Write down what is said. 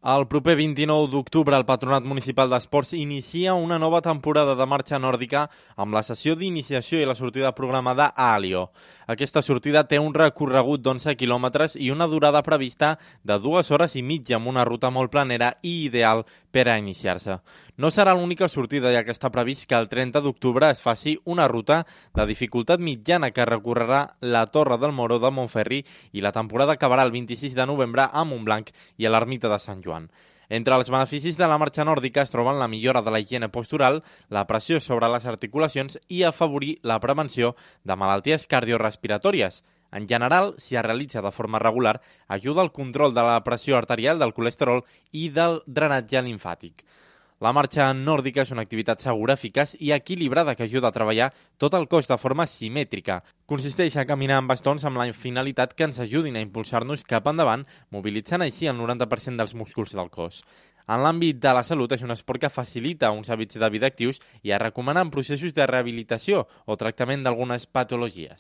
El proper 29 d'octubre el Patronat Municipal d'Esports inicia una nova temporada de marxa nòrdica amb la sessió d'iniciació i la sortida programada a Alió. Aquesta sortida té un recorregut d'11 quilòmetres i una durada prevista de 2 hores i mitja amb una ruta molt planera i ideal per a iniciar-se. No serà l'única sortida, ja que està previst que el 30 d'octubre es faci una ruta de dificultat mitjana que recorrerà la Torre del Moró de Montferri i la temporada acabarà el 26 de novembre a Montblanc i a l'Ermita de Sant Joan. Entre els beneficis de la marxa nòrdica es troben la millora de la higiene postural, la pressió sobre les articulacions i afavorir la prevenció de malalties cardiorrespiratòries. En general, si es realitza de forma regular, ajuda al control de la pressió arterial, del colesterol i del drenatge limfàtic. La marxa nòrdica és una activitat segura, eficaç i equilibrada que ajuda a treballar tot el cos de forma simètrica. Consisteix a caminar amb bastons amb la finalitat que ens ajudin a impulsar-nos cap endavant, mobilitzant així el 90% dels músculs del cos. En l'àmbit de la salut és un esport que facilita uns hàbits de vida actius i es recomana en processos de rehabilitació o tractament d'algunes patologies.